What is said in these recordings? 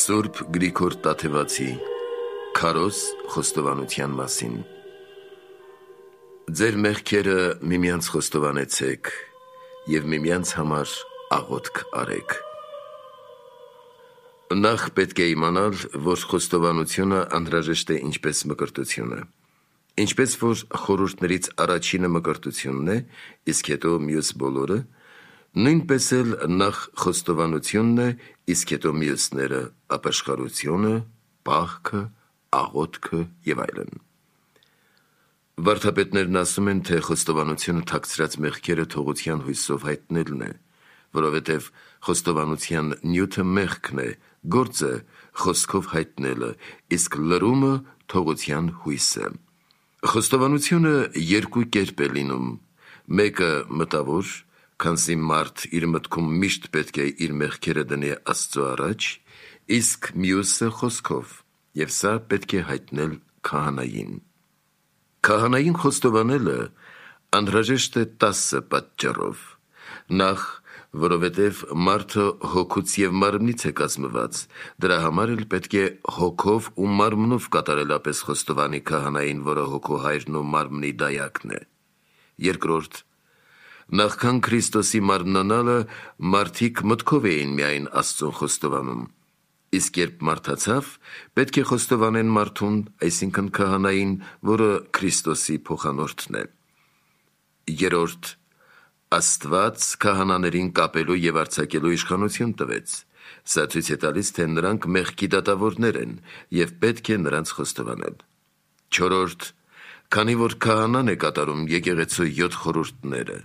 Սուրբ Գրիգոր Տաթևացի Քարոզ խոստովանության մասին։ Ձեր մեղքերը միմյանց խոստովանեցեք և միմյանց համար աղոթք արեք։ Նախ պետք է իմանալ, որ խոստովանությունը անհրաժեշտ է ինչպես մկրտությունը, ինչպես որ խորհուրդներից առաջինը մկրտությունն է, իսկ հետո մյուս բոլորը, նույնպես էլ նախ խոստովանությունն է, իսկ հետո մյուսները՝ ապաշխարությունը, պահքը, աղոթքը և այլն։ Վարդապետներն ասում են, թե խոստովանությունը թաքցրած մեղքերը թողության հույսով հայտնելն է, որովհետև խոստովանության նյութը մեղքն է, գործը խոսքով հայտնելը, իսկ լրումը թողության հույսը։ Խոստովանությունը երկու կերպ է լինում, մեկը մտավոր, քանզի մարդ իր մտքում միշտ պետք է իր մեղքերը դնի Աստծո առաջ, իսկ մյուսը խոսքով, և սա պետք է հայտնել քահանային։ Քահանային խոստովանելը անհրաժեշտ է 10 պատճառով. Նախ, որովհետև մարդը հոգուց և մարմնից է կազմված, դրա համար էլ պետք է հոգով ու մարմնով կատարելապես խոստովանի քահանային, որը հոգու հայրն ու մարմնի դայակն է։ Երկրորդ, նախքան Քրիստոսի մարմնանալը, մարդիկ մտքով էին միայն Աստծուն խոստովանում, իսկ երբ մարդացավ, պետք է խոստովանեն մարդուն, այսինքն քահանային, որը Քրիստոսի փոխանորդն է։ Երրորդ, Աստված քահանաներին կապելու և արձակելու իշխանություն տվեց։ Սա ցույց է տալիս, թե նրանք մեղքի դատավորներ են և պետք է նրանց խոստովանել։ Չորրորդ, քանի որ քահանան է կատարում եկեղեցու 7 խորհուրդները՝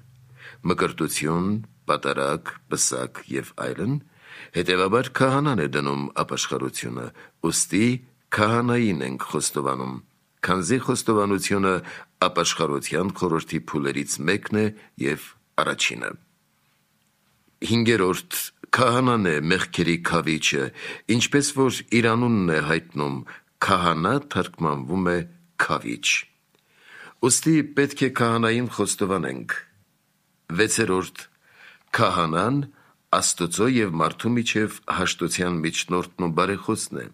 մկրտություն, պատարագ, պսակ և այլն, հետևաբար քահանան է դնում ապաշխարությունը, ուստի քահանային ենք խոստովանում, քանզի խոստովանությունը ապաշխարության խորհրդի փուլերից մեկն է և առաջինը։ Հինգերորդ, քահանան է մեղքերի քավիչը, ինչպես որ իր անունն է հայտնում, քահանա թարգմանվում է քավիչ։ Ուստի պետք է քահանային խոստովանենք։ Վեցերորդ, քահանան Աստծո և մարդու միջև հաշտության միջնորդն ու բարեխոսն է։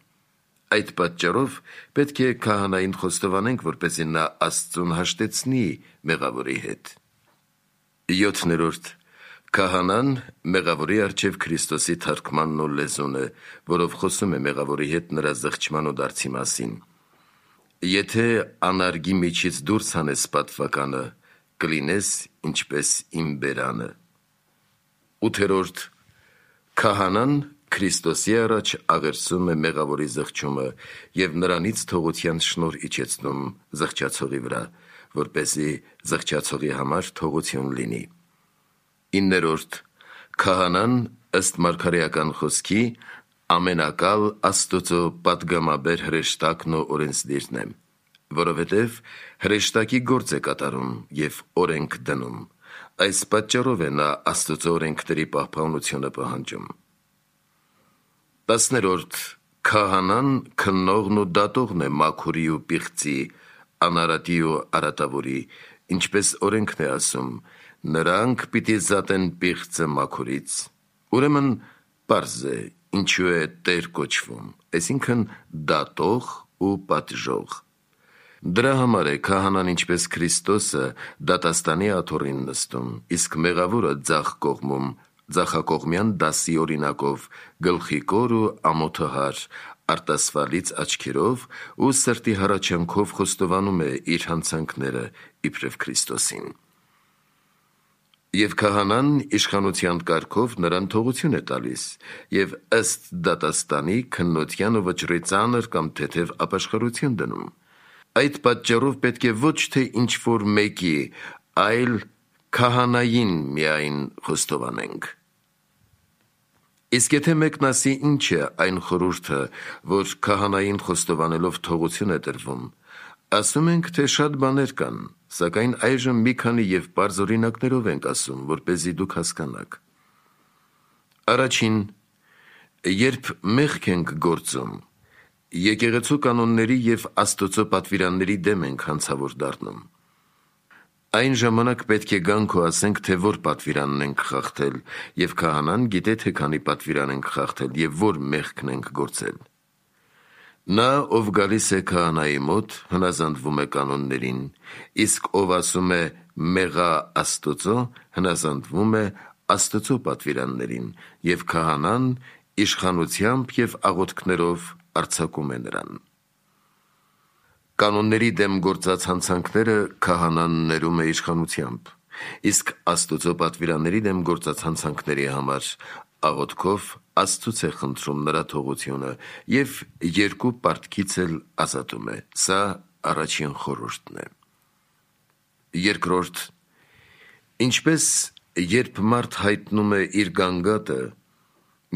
Այդ պատճառով պետք է քահանային խոստովանենք, որպեսզի նա Աստծուն հաշտեցնի մեղավորի հետ։ Յոթներորդ, քահանան մեղավորի առջև Քրիստոսի թարգմանն ու լեզուն է, որով խոսում է մեղավորի հետ նրա զղջման ու դարձի մասին։ Եթե անարգի միջից դուրս հանես պատվականը, կլինես ինչպես իմ բերանը։ Ութերորդ, քահանան Քրիստոսի առաջ աղերսում է մեղավորի զղջումը և նրանից թողության շնորհ իջեցնում զղջացողի վրա, որպեսզի զղջացողի համար թողություն լինի։ Իններորդ, քահանան ըստ մարգարեական խոսքի ամենակալ Աստծո պատգամաբեր հրեշտակն ու օրենսդիրն է, որովհետև հրեշտակի գործ է կատարում և օրենք դնում։ Այս պատճառով է նա Աստծո օրենքների պահպանությունը պահանջում։ 10-րդ, քահանան քննողն ու դատողն է մաքուրի ու պիղծի, անարատի ու արատավորի, ինչպես օրենքն է ասում, նրանք պիտի զատեն պիղծը մաքուրից։ Ուրեմն պարզ է, ինչու է Տեր կոչվում, այսինքն դատող ու պատժող։ Դրա համար է քահանան ինչպես Քրիստոսը դատաստանի աթոռին նստում, իսկ մեղավորը ձախ կողմում, ձախակողմյան դասի օրինակով, գլխիկոր ու ամոթահար, արտասվալից աչքերով ու սրտի հառաչանքով խոստովանում է իր հանցանքները իբրև Քրիստոսին։ Եվ քահանան իշխանության կարգով նրան թողություն է տալիս և ըստ դատաստանի քննության ու վճռի ծանր կամ թեթև ապաշխարություն դնում։ Այդ պատճառով պետք է ոչ թե ինչ-որ մեկի, այլ քահանային միայն խոստովանենք։ Իսկ եթե մեկն ասի ինչ է այն խորհուրդը, որ քահանային խոստովանելով թողություն է տրվում, ասում ենք, թե շատ բաներ կան, սակայն այժմ մի քանի և պարզ օրինակներով ենք ասում, որպեսզի դուք հասկանաք։ Առաջին, երբ մեղք ենք գործում, եկեղեցու կանոնների և Աստծո պատվիրանների դեմ ենք հանցավոր դառնում։ Այն ժամանակ պետք է գանք ու ասենք, թե որ պատվիրանն ենք խախտել, և քահանան գիտե, թե քանի պատվիրան ենք խախտել և որ մեղքն ենք գործել։ Նա, ով գալիս է քահանայի մոտ, հնազանդվում է կանոններին, իսկ ով ասում է մեղա Աստծո, հնազանդվում է Աստծո պատվիրաններին, և քահանան իշխանությամբ և աղոթքներով արձակում է նրան։ Կանոնների դեմ գործած հանցանքները քահանան ներում է իշխանությամբ, իսկ Աստծո պատվիրանների դեմ գործած հանցանքների համար աղոթքով Աստծուց է խնդրում նրա թողությունը և երկու պարտքից էլ ազատում է։ Սա առաջին խորհուրդն է։ Երկրորդ, ինչպես երբ մարդ հայտնում է իր գանգատը,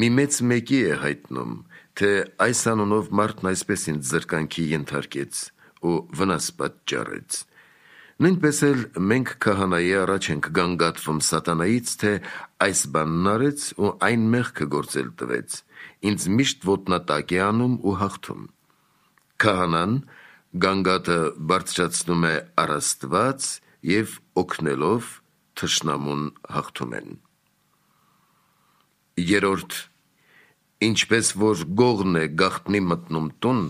մի մեծ մեկի է հայտնում, թե այս անունով մարդն այսպես ինձ զրկանքի ենթարկեց ու վնաս պատճառեց, նույնպես էլ մենք քահանայի առաջ ենք գանգատվում սատանայից, թե այս բանն արեց ու այն մեղքը գործել տվեց, ինձ միշտ ոտնատակ է անում ու հաղթում։ Քահանան գանգատը բարձրացնում է առ Աստված և օգնելով թշնամուն հաղթում են։ Երրորդ, ինչպես որ գողն է գաղտնի մտնում տուն,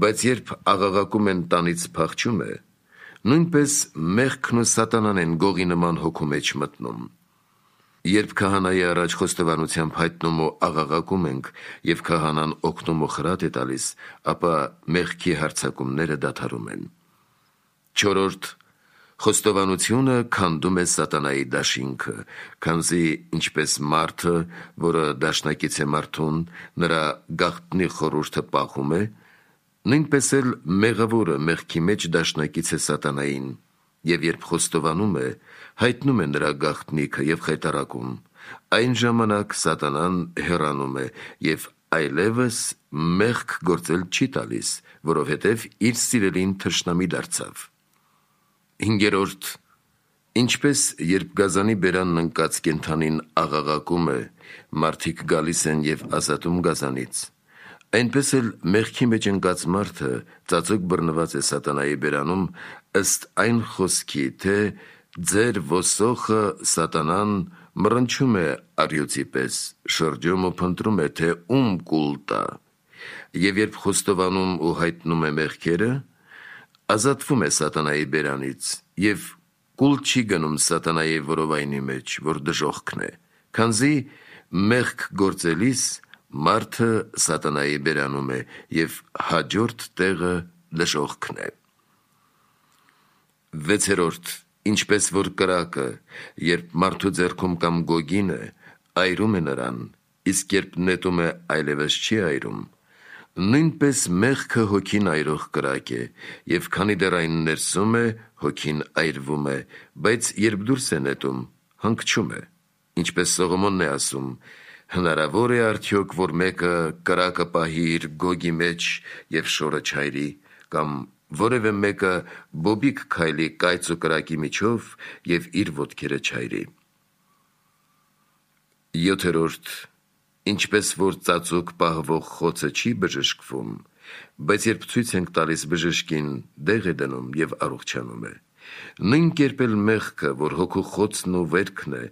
բայց երբ աղաղակում են տանից փախչում է, նույնպես մեղքն ու սատանան են գողի նման հոգու մեջ մտնում։ Երբ քահանայի առաջ խոստովանությամբ հայտնում ու աղաղակում ենք և քահանան օգնում ու խրատ է տալիս, ապա մեղքի հարձակումները դադարում են։ Չորրորդ, խոստովանությունը քանդում է սատանայի դաշինքը, քանզի ինչպես մարդը, որը դաշնակից է մարդուն, նրա գաղտնի խորհուրդը պահում է, նույնպես էլ մեղավորը մեղքի մեջ դաշնակից է սատանային, և երբ խոստովանում է, հայտնում է նրա գաղտնիքը և խայտառակում, այն ժամանակ սատանան հեռանում է և այլևս մեղք գործել չի տալիս, որովհետև իր սիրելին թշնամի դարձավ։ Հինգերորդ, ինչպես երբ գազանի բերանն ընկած կենդանին աղաղակում է, մարդիկ գալիս են և ազատում գազանից, այնպես էլ մեղքի մեջ ընկած մարդը ծածուկ բռնված է սատանայի բերանում ըստ այն խոսքի, թե ձեր ոսոխը սատանան մռնչում է առյուծի պես, շրջում ու փնտրում է, թե ում կուլ տա, և երբ խոստովանում ու հայտնում է մեղքերը, ազատվում է սատանայի բերանից և կուլ չի գնում սատանայի որովայնի մեջ, որ դժոխքն է, քանզի մեղք գործելիս մարդը սատանայի բերանում է և հաջորդ տեղը դժոխքն է։ Վեցերորդ, ինչպես որ կրակը, երբ մարդու ձեռքում կամ գոգին է, այրում է նրան, իսկ երբ նետում է, այլևս չի այրում, նույնպես մեղքը հոգին այրող կրակ է, և քանի դեռ այն ներսում է, հոգին այրվում է, բայց երբ դուրս է նետում, հանգչում է, ինչպես Սողոմոնն է ասում. հնարավոր է արդյոք, որ մեկը կրակը պահի իր գոգի մեջ և շորը չայրի, կամ որևէ մեկը բոբիկ քայլի կայծ ու կրակի միջով և իր ոտքերը չայրի։ Յոթերորդ, ինչպես որ ծածուկ պահվող խոցը չի բժշկվում, բայց երբ ցույց ենք տալիս բժշկին, դեղ է դնում և առողջանում է, նույն կերպ էլ մեղքը, որ հոգու խոցն ու վերքն է,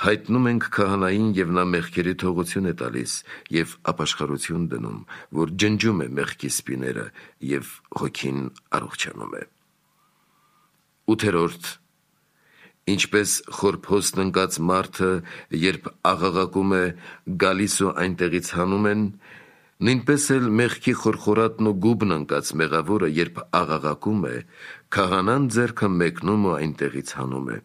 հայտնում ենք քահանային և նա մեղքերի թողություն է տալիս և ապաշխարություն դնում, որ ջնջում է մեղքի սպիները և հոգին առողջանում է։ Ութերորդ, ինչպես խորփոստ ընկած մարդը, երբ աղաղակում է, գալիս ու այնտեղից հանում են, նույնպես էլ մեղքի խորխորատն ու գուբն ընկած մեղավորը, երբ աղաղակում է, քահանան ձեռքը մեկնում ու այնտեղից հանում է։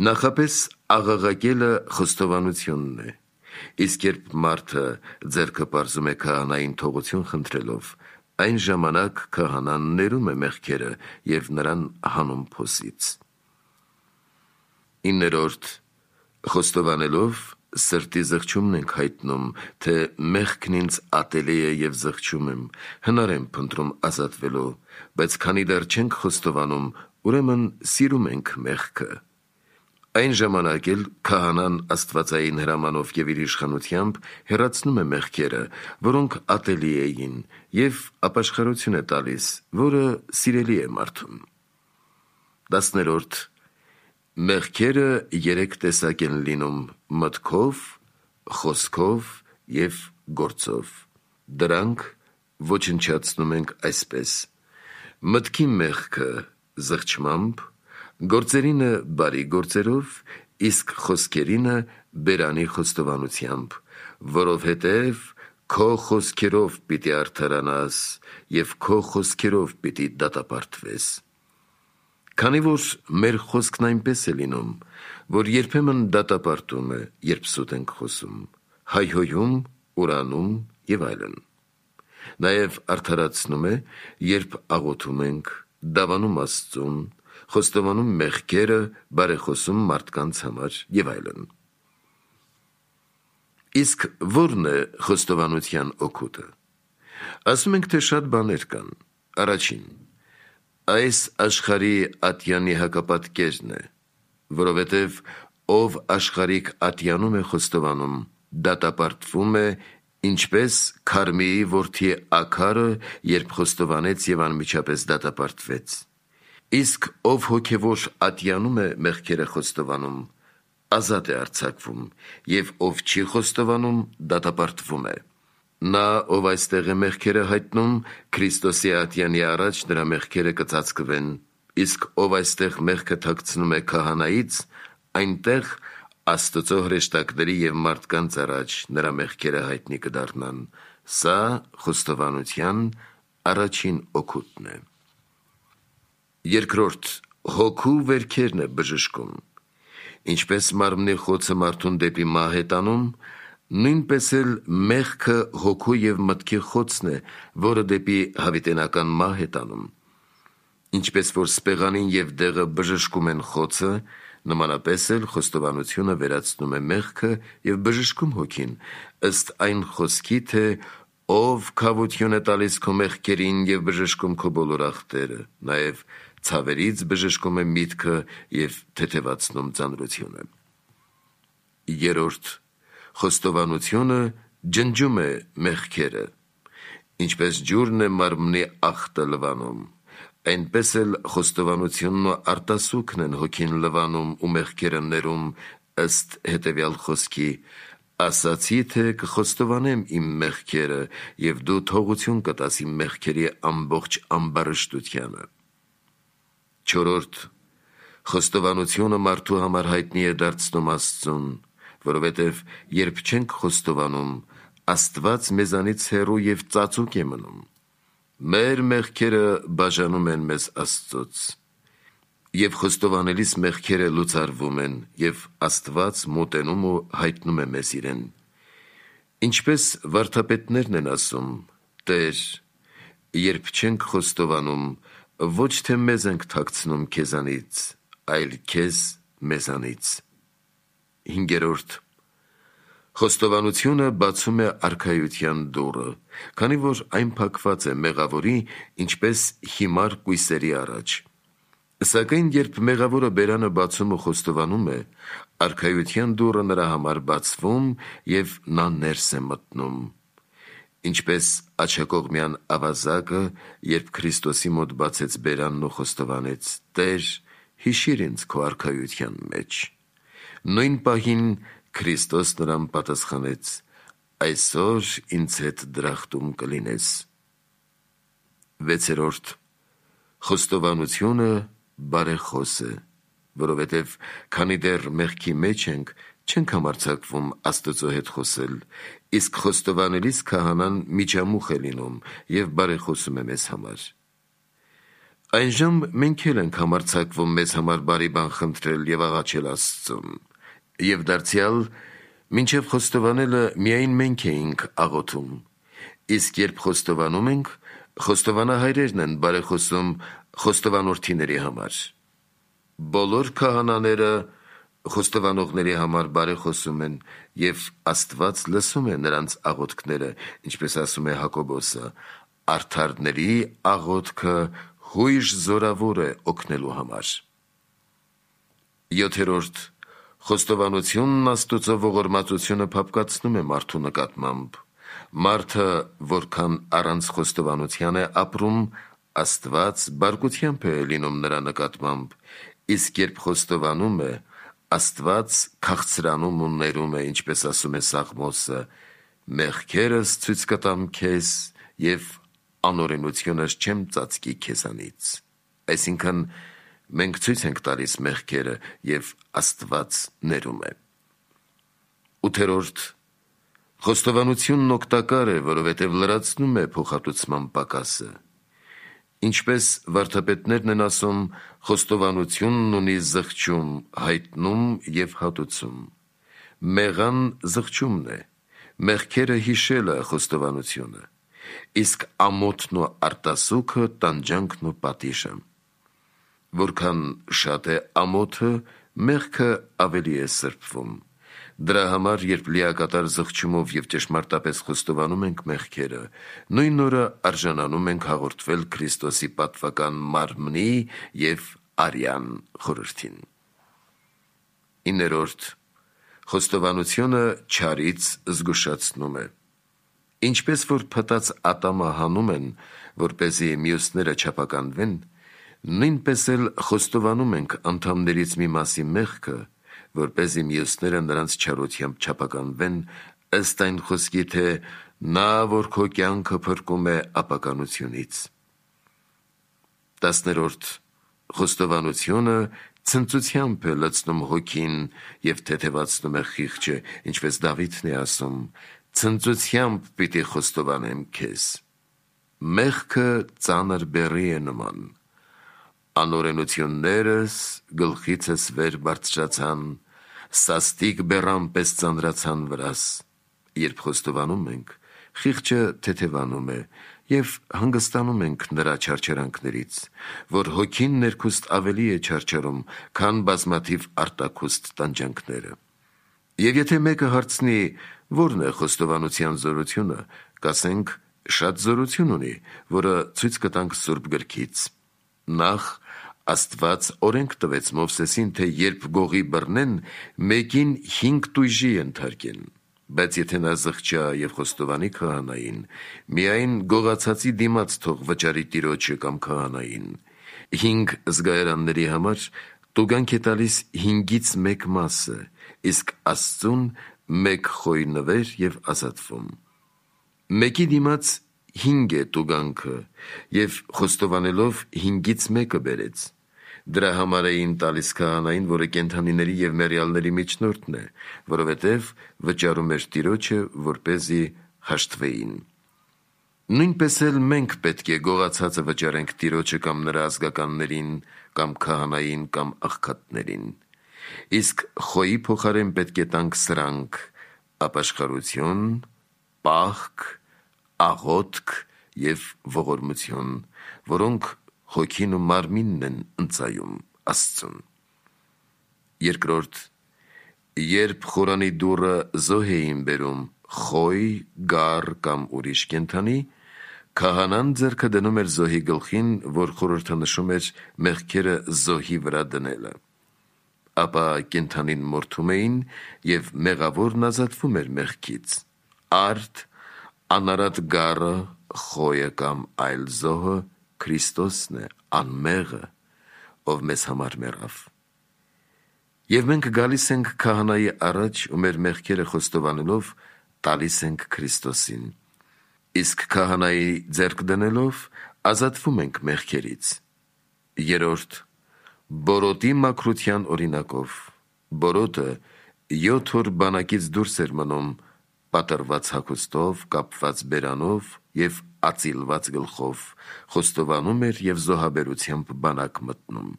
Նախապես աղաղակելը խոստովանությունն է, իսկ երբ մարդը ձեռքը պարզում է քահանային թողություն խնդրելով, այն ժամանակ քահանան ներում է մեղքերը և նրան հանում փոսից։ Իններորդ, խոստովանելով սրտի զղջումն ենք հայտնում, թե մեղքն ինձ ատելի է և զղջում եմ, հնար եմ փնտրում ազատվելու, բայց քանի դեռ չենք խոստովանում, ուրեմն սիրում ենք մեղքը։ Այն ժամանակ էլ քահանան աստվածային հրամանով և իր իշխանությամբ հեռացնում է մեղքերը, որոնք ատելի էին, և ապաշխարություն է տալիս, որը սիրելի է մարդուն։ 10-րդ Մեղքերը 3 տեսակ են լինում՝ մտքով, խոսքով և գործով։ Դրանք ոչնչացնում ենք այսպես. մտքի մեղքը զղջմամբ, գործերինը բարի գործերով, իսկ խոսքերինը բերանի խոստովանությամբ, որովհետև քո խոսքերով պիտի արդարանաս և քո խոսքերով պիտի դատապարտվես։ Քանի որ մեր խոսքն այնպես է լինում, որ երբեմն դատապարտում է, երբ սուտ ենք խոսում, հայհոյում, ուրանում և այլն։ Նաև արդարացնում է, երբ աղոթում ենք, դավանում Աստծուն, խոստովանում մեղքերը, բարեխոսում մարդկանց համար և այլն։ Իսկ ո՞րն է խոստովանության օգուտը։ Ասում ենք, թե շատ բաներ կան։ Առաջին, այս աշխարհի ատյանի հակապատկերն է, որովհետև ով աշխարհիկ ատյանում է խոստովանում, դատապարտվում է, ինչպես Քարմիի որդի Աքարը, երբ խոստովանեց և անմիջապես դատապարտվեց։ Իսկ ով հոգևոր ատյանում է մեղքերը խոստովանում, ազատ է արձակվում, և ով չի խոստովանում, դատապարտվում է։ Նա, ով այստեղ է մեղքերը հայտնում, Քրիստոսի ատյանի առաջ նրա մեղքերը կծածկվեն, իսկ ով այստեղ մեղքը թաքցնում է քահանայից, այնտեղ Աստծո հրեշտակների և մարդկանց առաջ նրա մեղքերը հայտնի կդառնան։ Սա խոստովանության առաջին օգուտն է։ Երկրորդ, հոգու վերքերն է բժշկում։ Ինչպես մարմնի խոցը մարդուն դեպի մահ է տանում, նույնպես էլ մեղքը հոգու և մտքի խոցն է, որը դեպի հավիտենական մահ է տանում։ Ինչպես որ սպեղանին և դեղը բժշկում են խոցը, նմանապես էլ խոստովանությունը վերացնում է մեղքը և բժշկում հոգին, ըստ այն խոսքի, թե ով քավություն է տալիս քո մեղքերին և բժշկում քո բոլոր ախտերը, նաև ցավերից բժշկում է միտքը և թեթևացնում ծանրությունը։ Երրորդ, խոստովանությունը ջնջում է մեղքերը։ Ինչպես ջուրն է մարմնի ախտը լվանում, այնպես էլ խոստովանությունն ու արտասուքն են հոգին լվանում ու մեղքերը ներում, ըստ հետևյալ խոսքի. ասացի, թե կխոստովանեմ իմ մեղքերը, և դու թողություն կտաս իմ մեղքերի ամբողջ ամբարշտությանը։ Չորրորդ, խոստովանությունը մարդու համար հայտնի է դարձնում Աստծուն, որովհետև երբ չենք խոստովանում, Աստված մեզանից հեռու և ծածուկ է մնում։ Մեր մեղքերը բաժանում են մեզ Աստծուց, և խոստովանելիս մեղքերը լուծարվում են, և Աստված մոտենում ու հայտնում է մեզ իրեն։ Ինչպես վարդապետներն են ասում. «Տեր, երբ չենք խոստովանում, ոչ թե մեզ ենք թաքցնում քեզանից, այլ քեզ մեզանից»։ Հինգերորդ, խոստովանությունը բացում է արքայության դուռը, քանի որ այն փակված է մեղավորի, ինչպես հիմար կույսերի առաջ։ Սակայն երբ մեղավորը բերանը բացում ու խոստովանում է, արքայության դուռը նրա համար բացվում և նա ներս է մտնում։ Ինչպես աջակողմյան ավազակը, երբ Քրիստոսի մոտ բացեց բերանն ու խոստովանեց. «Տեր, հիշիր ինձ քո արքայության մեջ»։ Նույն պահին Քրիստոս նրան պատասխանեց. «Այսօր ինձ հետ դրախտում կլինես»։ Վեցերորդ, խոստովանությունը բարեխոս է, որովհետև քանի դեռ մեղքի մեջ ենք, չենք համարձակվում Աստծո հետ խոսել, իսկ խոստովանելիս քահանան միջամուխ է լինում և բարեխոսում է մեզ համար։ Այնժամ մենք էլ ենք համարձակվում մեզ համար բարի բան խնդրել և աղաչել Աստծուն, և դարձյալ մինչև խոստովանելը միայն մենք էինք աղոթում, իսկ երբ խոստովանում ենք, խոստովանահայրերն են բարեխոսում խոստովանորդիների համար։ Բոլոր քահանաները խոստովանողների համար բարեխոսում են, և Աստված լսում է նրանց աղոթքները, ինչպես ասում է Հակոբոսը. «Արդարների աղոթքը հույժ զորավոր է օգնելու համար»։ Յոթերորդ, խոստովանությունն Աստծո ողորմածությունը փափկացնում է մարդու նկատմամբ։ Մարդը, որքան առանց խոստովանության է ապրում, Աստված բարկությամբ է լինում նրա նկատմամբ, իսկ երբ խոստովանում է, Աստված քաղցրանում ու ներում է, ինչպես ասում է Սաղմոսը, մեղքերս ցույց կտամ քեզ և անօրենությունս չեմ ծածկի քեզանից։ Այսինքն մենք ցույց ենք տալիս մեղքերը և Աստված ներում է։ 8. Խոստովանությունն օգտակար է, որովհետև լրացնում է փոխհատուցման պակասը։ Ինչպես վարդապետներն են ասում, խոստովանությունն ունի զղջում, հայտնում և հատուցում։ Մեղան զղջումն է, մեղքերը հիշելը խոստովանությունը, իսկ ամոթն ու արտասուքը տանջանքն ու պատիժը։ Որքան շատ է ամոթը, մեղքը ավելի է սրբվում։ Դրա համար, երբ լիակատար զղջումով և ճշմարտապես խոստովանում ենք մեղքերը, նույն օրը արժանանում ենք հաղորդվել Քրիստոսի պատվական մարմնի և արյան խորհրդին։ 9. Խոստովանությունը չարից զգուշացնում է։ Ինչպես որ փտած ատամը հանում են, որպեսզի մյուսները չափականվեն, նույնպես էլ խոստովանում ենք անդամներից մի մասի մեղքը, որպեսզի մյուսները նրանց չարությամբ չափականվեն, ըստ այն խոսքի, թե նա, որ քո կյանքը փրկում է ապականությունից։ 10. Խոստովանությունը ցնծությամբ է լցնում հոգին և թեթևացնում է խիղճը, ինչպես Դավիթն է ասում. «Ցնծությամբ պիտի խոստովանեմ քեզ»։ Մեղքը ծանր բեռի է նման։ Անօրենություններս գլխիցս վեր բարձրացան, սաստիկ բեռան պես ծանրացան վրաս։ Երբ խոստովանում ենք, խիղճը թեթևանում է և հանգստանում ենք նրա չարչարանքներից, որ հոգին ներքուստ ավելի է չարչարում, քան բազմաթիվ արտաքուստ տանջանքները։ Եվ եթե մեկը հարցնի, որն է խոստովանության զորությունը, կասենք, շատ զորություն ունի, որը ցույց կտանք Սուրբ գրքից։ Նախ, Աստված օրենք տվեց Մովսեսին, թե երբ գողի բռնեն, մեկին 5 տույժի ենթարկեն, բայց եթե նա զղջա և խոստովանի քահանային, միայն գողացածի դիմաց թող վճարի տիրոջը կամ քահանային։ 5 զգայարանների համար տուգանք է տալիս 5-ից 1 մասը, իսկ Աստծուն 1 խոյ նվեր և ազատվում։ Մեկի դիմաց 5 է տուգանքը, և խոստովանելով 5-ից 1-ը բերեց։ Դրա համար էին տալիս քահանային, որը կենդանիների և մեռյալների միջնորդն է, որովհետև վճարում էր տիրոջը, որպեսզի հաշտվեին։ Նույնպես էլ մենք պետք է գողացածը վճարենք տիրոջը կամ նրա ազգականներին, կամ քահանային, կամ աղքատներին։ Իսկ խոյի փոխարեն պետք է տանք սրանք՝ ապաշխարություն, պահք, աղոթք և ողորմություն, որոնք հոգին ու մարմինն են ընծայում Աստծուն։ 2. Երբ խորանի դուռը զոհ էին բերում, խոյ, գառ կամ ուրիշ կենդանի, քահանան ձեռքը դնում էր զոհի գլխին, որ խորհրդանշում էր մեղքերը զոհի վրա դնելը։ Ապա կենդանին մորթում էին, և մեղավորն ազատվում էր մեղքից։ Արդ, անարատ գառը, խոյը կամ այլ զոհը Քրիստոսն է, անմեղը, ով մեզ համար մեռավ։ Եվ մենք գալիս ենք քահանայի առաջ ու մեր մեղքերը խոստովանելով տալիս ենք Քրիստոսին։ Իսկ քահանայի ձեռք դնելով ազատվում ենք մեղքերից։ 3. Բորոտի մաքրության օրինակով։ Բորոտը 7 օր բանակից դուրս էր մնում, պատրված հագուստով, կապված բերանով և ածիլված գլխով, խոստովանում էր և զոհաբերությամբ բանակ մտնում։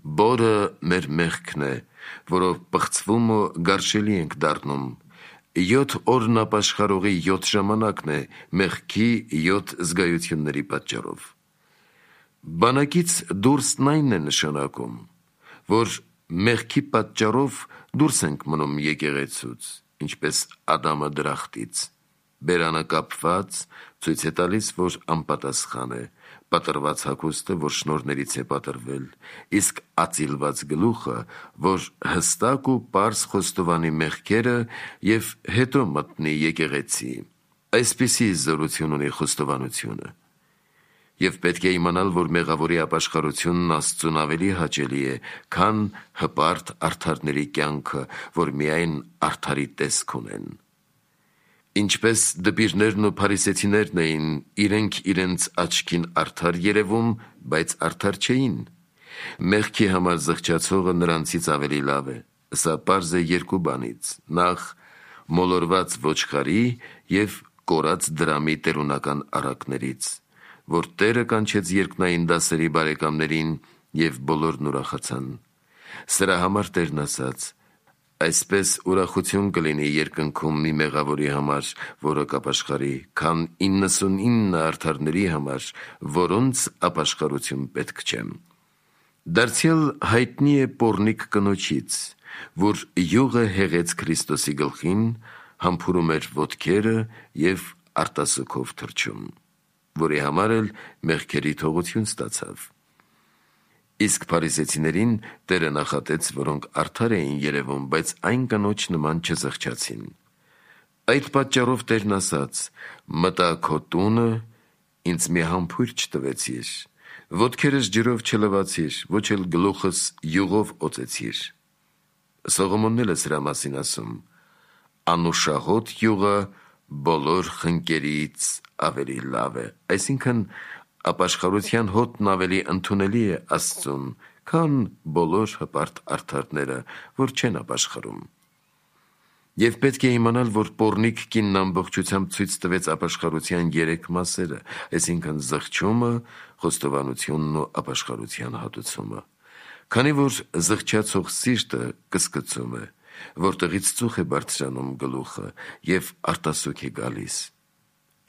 Բորը մեր մեղքն է, որով պղծվում ու գարշելի ենք դառնում։ 7 օրն ապաշխարողի 7 ժամանակն է մեղքի 7 զգայությունների պատճառով։ Բանակից դուրսն այն է նշանակում, որ մեղքի պատճառով դուրս ենք մնում եկեղեցուց, ինչպես Ադամը դրախտից։ Բերանը կապված ցույց է տալիս, որ անպատասխան է, պատրված հագուստը, որ շնորհներից է պատրվել, իսկ ածիլված գլուխը, որ հստակ ու պարզ խոստովանի մեղքերը և հետո մտնի եկեղեցի։ Այսպիսի զորություն ունի խոստովանությունը։ Եվ պետք է իմանալ, որ մեղավորի ապաշխարությունն Աստծուն ավելի հաճելի է, քան հպարտ արդարների կյանքը, որ միայն արդարի տեսք ունեն։ Ինչպես դպիրներն ու փարիսեցիներն էին, իրենք իրենց աչքին արդար երևում, բայց արդար չէին։ Մեղքի համար զղջացողը նրանցից ավելի լավ է։ Սա պարզ է երկու բանից. նախ մոլորված ոչխարի և կորած դրամի տերունական առակներից, որ Տերը կանչեց երկնային դասերի բարեկամներին և բոլորն ուրախացան։ Սրա համար Տերն ասաց. այսպես ուրախություն կլինի երկնքում մի մեղավորի համար, որը կապաշխարի, քան 99 արդարների համար, որոնց ապաշխարություն պետք չէ։ Դարձյալ հայտնի է պոռնիկ կնոջից, որ յուղը հեղեց Քրիստոսի գլխին, համբուրում էր ոտքերը և արտասուքով թռչում, որի համար էլ մեղքերի թողություն ստացավ։ Իսկ փարիսեցիներին Տերը նախատեց, որոնք արդար էին երևում, բայց այն կնոջ նման չզղջացին։ Այդ պատճառով Տերն ասաց. մտա քո տունը, ինձ մի համբույր չտվեցիր, ոտքերս ջրով չլվացիր, ոչ էլ գլուխս յուղով օծեցիր։ Սողոմոնն էլ է սրա մասին ասում. անուշահոտ յուղը բոլոր խնկերից ավելի լավ է, այսինքն ապաշխարության հոտն ավելի ընդունելի է Աստծուն, քան բոլոր հպարտ արդարները, որ չեն ապաշխարում։ Եվ պետք է իմանալ, որ պոռնիկ կինն ամբողջությամբ ցույց տվեց ապաշխարության 3 մասերը, այսինքն զղջումը, խոստովանությունն ու ապաշխարության հատուցումը։ Քանի որ զղջացող սիրտը կսկծում է, որտեղից ծուխ է բարձրանում գլուխը և արտասուք է գալիս,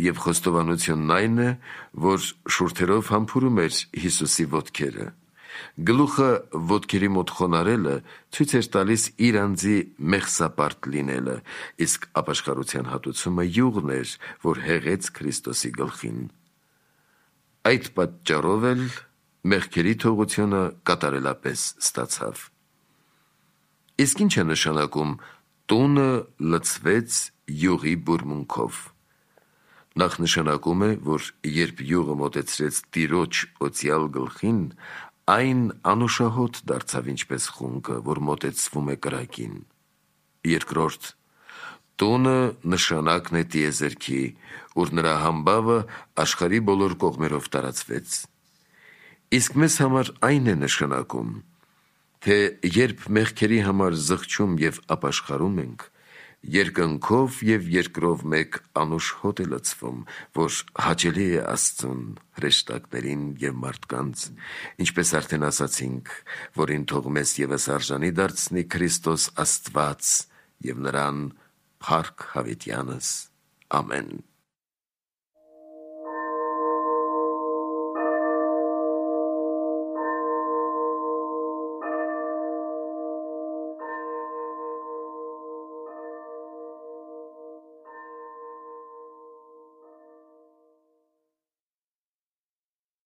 և խոստովանությունն այն է, որ շուրթերով համբուրում էր Հիսուսի ոտքերը։ Գլուխը ոտքերի մոտ խոնարհելը ցույց էր տալիս իր անձի մեղսապարտ լինելը, իսկ ապաշխարության հատուցումը յուղն էր, որ հեղեց Քրիստոսի գլխին։ Այդ պատճառով էլ մեղքերի թողությունը կատարելապես ստացավ։ Իսկ ինչ է նշանակում տունը լցվեց յուղի բուրմունքով։ Նախ նշանակում է, որ երբ յուղը մոտեցրեց Տիրոջ օծյալ գլխին, այն անուշահոտ դարձավ ինչպես խունկը, որ մոտեցվում է կրակին։ Երկրորդ, տունը նշանակն է տիեզերքի, ուր նրա համբավը աշխարհի բոլոր կողմերով տարածվեց։ Իսկ մեզ համար այն է նշանակում, թե երբ մեղքերի համար զղջում և ապաշխարում ենք, երկնքով և երկրով մեկ անուշ հոտ է լցվում, որ հաճելի է Աստծուն, հրեշտակներին և մարդկանց, ինչպես արդեն ասացինք, որին թող մեզ ևս արժանի դարձնի Քրիստոս Աստված և նրան փառք հավիտյանս։ Ամեն։